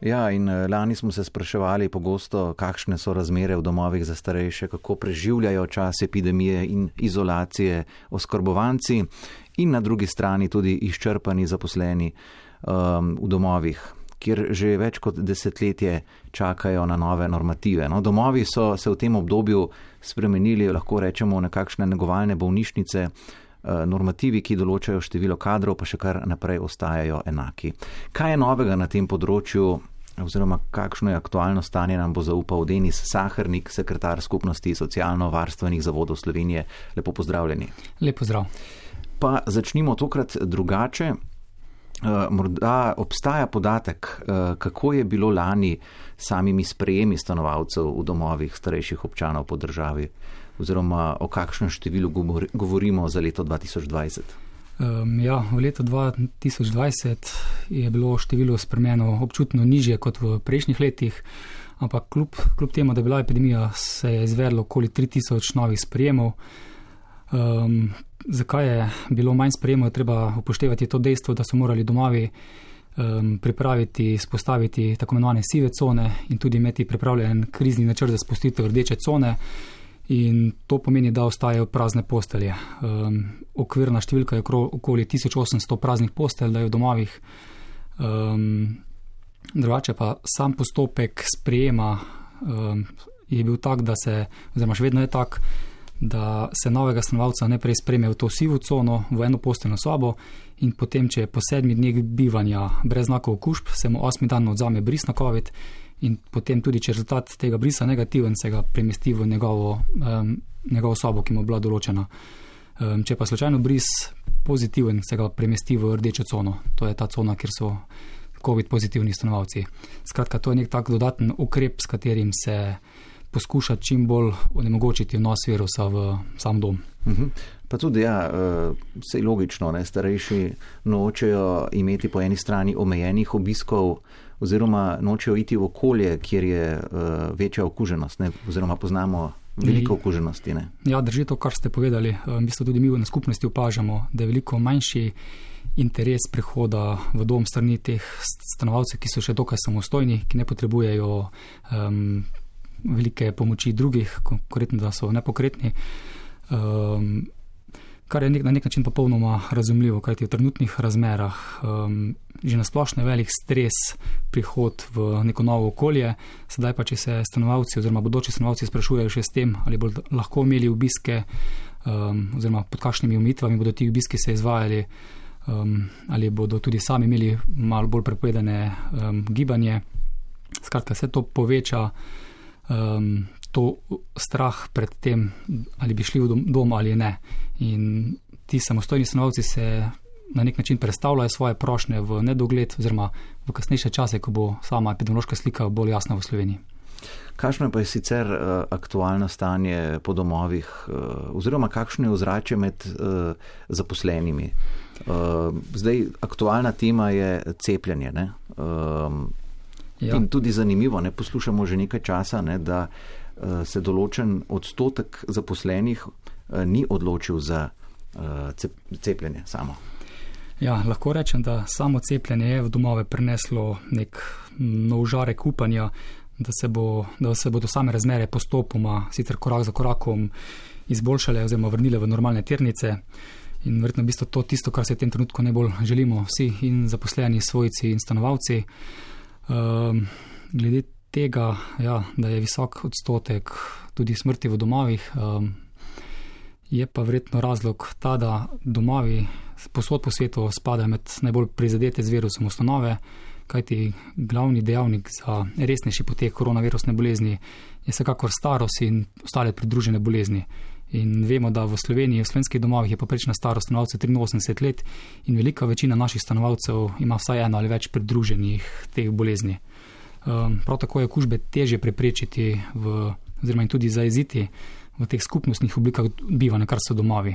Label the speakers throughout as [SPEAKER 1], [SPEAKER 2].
[SPEAKER 1] Ja, in lani smo se spraševali pogosto, kakšne so razmere v domovih za starejše, kako preživljajo čas epidemije in izolacije oskrbovanci in na drugi strani tudi izčrpani zaposleni v domovih, kjer že več kot desetletje čakajo na nove normative. No, domovi so se v tem obdobju spremenili, lahko rečemo, nekakšne negovalne bolnišnice, normativi, ki določajo število kadrov, pa še kar naprej ostajajo enaki. Kaj je novega na tem področju, oziroma kakšno je aktualno stanje, nam bo zaupal Denis Sahernik, sekretar Skupnosti socialno-varstvenih zavodov Slovenije. Lepo pozdravljeni.
[SPEAKER 2] Lep pozdrav.
[SPEAKER 1] Pa začnimo tokrat drugače. Morda obstaja podatek, kako je bilo lani samimi sprejemi stanovalcev v domovih starejših občanov po državi, oziroma o kakšnem številu govorimo za leto 2020?
[SPEAKER 2] V letu 2020 je bilo število spremenjeno občutno nižje kot v prejšnjih letih, ampak kljub temu, da je bila epidemija, se je izvedlo okoli 3000 novih sprejemov. Zakaj je bilo manj sprejemov, je treba upoštevati to dejstvo, da so morali domovi pripraviti, spostaviti tako imenovane sive cone in tudi imeti pripravljen krizni načrt za spustitev rdeče cone. In to pomeni, da ostajajo prazne postelje. Okvirna številka je okoli 1800 praznih postelj, da je v domovih. Drugače pa sam postopek sprejema je bil tak, oziroma še vedno je tak, da se novega stanovalca najprej sprejme v to sivo cono, v eno posteljno sobo in potem, če je po 7 dneh bivanja brez znakov okužb, se mu 8. dan odzame bris na COVID in potem tudi, če rezultat tega brisa negativen, se ga premesti v njegovo sobo, ki mu je bila določena. Če pa slučajno bris pozitiven, se ga premesti v rdečo cono. To je ta cona, kjer so COVID pozitivni stanovalci. Skratka, to je nek tak dodaten ukrep, s katerim se poskuša čim bolj onemogočiti vnos virusa v sam dom.
[SPEAKER 1] Pa tudi, vse logično, starejši nočejo imeti po eni strani omejenih obiskov, oziroma nočejo iti v okolje, kjer je večja okuženost, oziroma poznamo veliko okuženosti.
[SPEAKER 2] Ja, drži to, kar ste povedali. V bistvu tudi mi na skupnosti opažamo, da je veliko manjši interes prihoda v dom strani teh stanovalcev, ki so še dokaj samostojni, ki ne potrebujejo velike pomoči drugih, konkretno, da so nepokretni, kar je na nek način popolnoma razumljivo, kajti v trenutnih razmerah že nasplošno je velik stres prihod v neko novo okolje. Sedaj pa, če se stanovalci oziroma bodoči stanovalci sprašujejo še s tem, ali bodo lahko imeli obiske oziroma pod kakšnimi omejitvami bodo ti obiski se izvajali, ali bodo tudi sami imeli malo bolj prepovedane gibanje. Skratka, vse to poveča to strah pred tem, ali bi šli v dom ali ne. In ti samostojni stanovalci se na nek način predstavljajo svoje prošnje v nedogled oziroma v kasnejše čase, ko bo sama epidemiološka slika bolj jasna v Sloveniji.
[SPEAKER 1] Kakšno pa je sicer aktualno stanje po domovih, oziroma kakšno je ozračje med zaposlenimi? Zdaj, aktualna tema je cepljenje, ne? In tudi zanimivo, poslušamo že nekaj časa, da se določen odstotek zaposlenih ni odločil za cepljenje samo.
[SPEAKER 2] Ja, lahko rečem, da samo cepljenje je v domove prineslo nek nov žarek upanja, da se bodo same razmere postopoma, sicer korak za korakom, izboljšale oziroma vrnile v normalne tirnice. In verjetno v bistvu to tisto, kar se v tem trenutku najbolj želimo vsi, in zaposleni, svojci in stanovalci. Glede tega, da je visok odstotek tudi smrti v domovih, je pa verjetno razlog ta, da domovi posod po svetu spadajo med najbolj prizadete z virusom ustanove, kajti glavni dejavnik za resnejši potek koronavirusne bolezni je vsekakor starost in ostale pridružene bolezni. In vemo, da v Sloveniji, v slovenskih domovih je povprečna starost stanovalcev 83 let in velika večina naših stanovalcev ima vsaj eno ali več pridruženih teh bolezni. Prav tako je okužbe težje preprečiti oziroma in tudi zajeziti v teh skupnostnih oblikah bivanja, kar so domovi.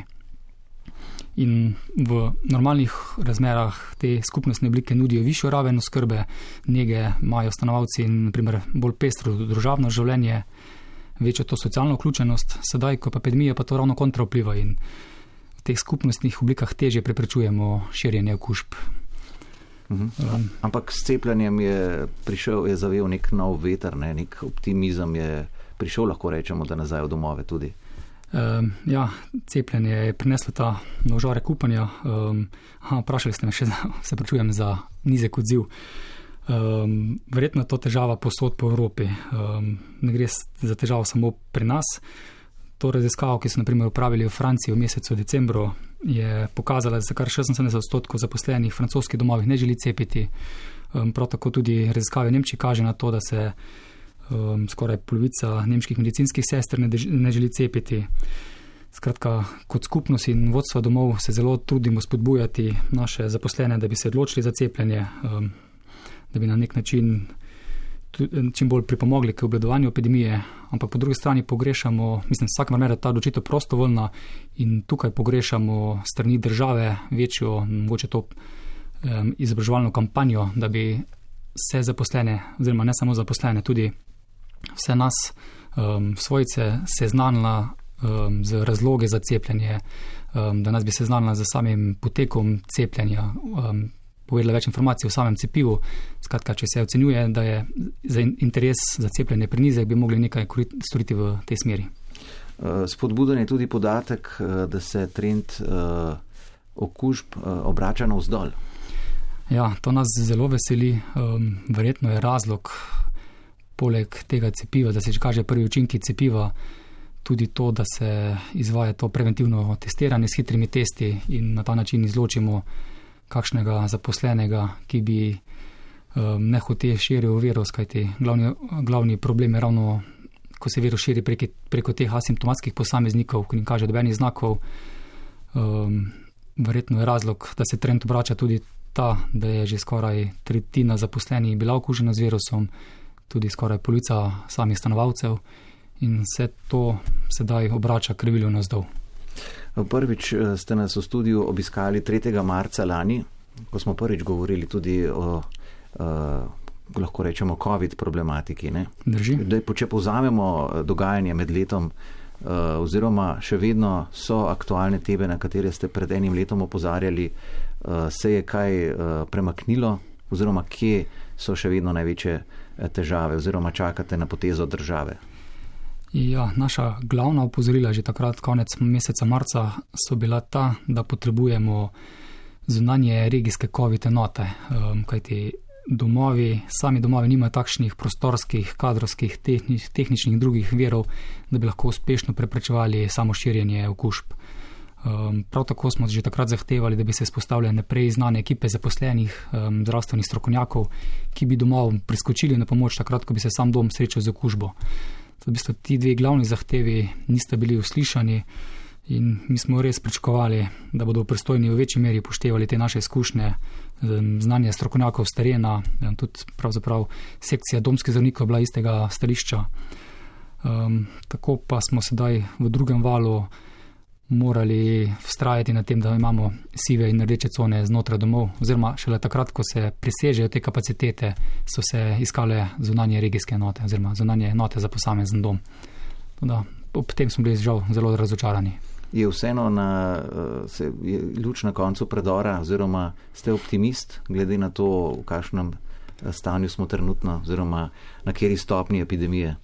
[SPEAKER 2] In v normalnih razmerah te skupnostne oblike nudijo višjo raven oskrbe, nege, imajo stanovalci in na primer bolj pestro družabno življenje, večjo to socialno vključenost. Sedaj, ko pa epidemija, pa to ravno kontra vpliva in v teh skupnostnih oblikah težje preprečujemo širjenje okužb.
[SPEAKER 1] Ampak s cepljenjem je zavel nek nov veter, nek optimizem je prišel, lahko rečemo, da nazaj v domove tudi.
[SPEAKER 2] Cepljenje je prineslo ta nožarek upanja. Vprašali ste me še, se pričujem za nizek odziv. Verjetno je to težava povsod po Evropi. Ne gre za težavo samo pri nas. To raziskavo, ki so na primer upravili v Franciji v mesecu decembru, je pokazala, da se kar 76% zaposlenih v francoskih domovih ne želi cepiti. Prav tako tudi raziskave v Nemčiji kaže na to, da se skoraj polovica nemških medicinskih sester ne želi cepiti. Skratka, kot skupnost in vodstva domov se zelo trudimo spodbujati naše zaposlene, da bi se odločili za cepljenje, da bi na nek način čim bolj pripomogli k obvladovanju epidemije, ampak po drugi strani pogrešamo, vsak primer je ta odločitev prostovoljna in tukaj pogrešamo strani države večjo, mogoče to izobraževalno kampanjo, da bi vse zaposlene, oziroma ne samo zaposlene, tudi vse nas, svojce, seznanila z razloge za cepljenje, da nas bi seznanila z samim potekom cepljenja, povedala več informacij o samem cepivu. Skratka, če se ocenjuje, da je za interes za cepljenje prenizek, bi mogli nekaj storiti v tej smeri.
[SPEAKER 1] Spodbuden je tudi podatek, da se trend okužb obrača navzdol.
[SPEAKER 2] Ja, to nas zelo veseli. Verjetno je razlog poleg tega cepiva, da se že kaže prvi učinki cepiva, tudi to, da se izvaja to preventivno testiranje s hitrimi testi in na ta način izločimo kakšnega zaposlenega, ki bi nehote širil virus, kajti glavni problem je ravno, ko se virus širi preko teh asimptomatskih posameznikov, ki jim kaže dobenih znakov. Verjetno je razlog, da se trend obrača tudi ta, da je že skoraj tretjina zaposlenih bila okužena z virusom, tudi skoraj polovica samih stanovalcev in vse to sedaj obrača krivuljo navzdol.
[SPEAKER 1] Prvič ste nas v studiu obiskali 3. marca lani, ko smo prvič govorili tudi o, lahko rečemo, COVID problematiki. Ne?
[SPEAKER 2] Drži.
[SPEAKER 1] Če povzamemo dogajanje med letom, oziroma še vedno so aktualne teme, na katere ste pred enim letom opozarjali, se je kaj premaknilo, oziroma kje so še vedno največje težave, oziroma čakate na potezo države?
[SPEAKER 2] Ja, naša glavna opozorila že takrat konec meseca marca so bila ta, da potrebujemo zunanje regijske COVID enote, kajti sami domovi nimajo takšnih prostorskih, kadrovskih, tehničnih in drugih virov, da bi lahko uspešno preprečevali samo širjenje okužb. Prav tako smo že takrat zahtevali, da bi se vzpostavljale naprej znane ekipe zaposlenih, zdravstvenih strokovnjakov, ki bi domov priskočili na pomoč takrat, ko bi se sam dom srečal z okužbo. V bistvu ti dve glavni zahtevi nista bili uslišani in mi smo res pričakovali, da bodo pristojni v večji meri upoštevali te naše izkušnje, znanje strokovnjakov s terena, tudi pravzaprav sekcija domskih zdravnikov bila istega stališča. Tako pa smo sedaj v drugem valu morali vztrajati na tem, da imamo sive in rdeče cone znotraj domov, oziroma šele takrat, ko se presežejo te kapacitete, so se iskale zunanje regijske enote, oziroma zunanje enote za posamezen dom. Ob tem smo bili žal zelo razočarani.
[SPEAKER 1] Je vseeno je luč na koncu predora, oziroma ste optimist, glede na to, v kakšnem stanju smo trenutno, oziroma na kateri stopnji epidemije?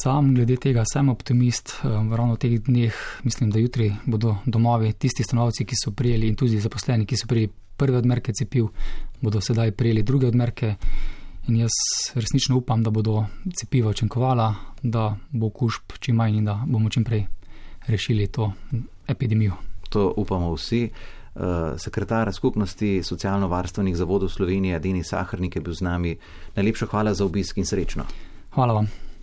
[SPEAKER 2] Sam glede tega sem optimist. Ravno v teh dneh mislim, da jutri bodo domovi, tisti stanovalci, ki so prijeli in tudi zaposleni, ki so prijeli prve odmerke cepiv, bodo sedaj prijeli druge odmerke in jaz resnično upam, da bodo cepiva učinkovala, da bo okužb čim manj in da bomo čim prej rešili to epidemijo.
[SPEAKER 1] To upamo vsi. Sekretar skupnosti socialno-varstvenih zavodov Slovenije, Denis Sahernik, je bil z nami. Najlepša hvala za obisk in srečno.
[SPEAKER 2] Hvala vam.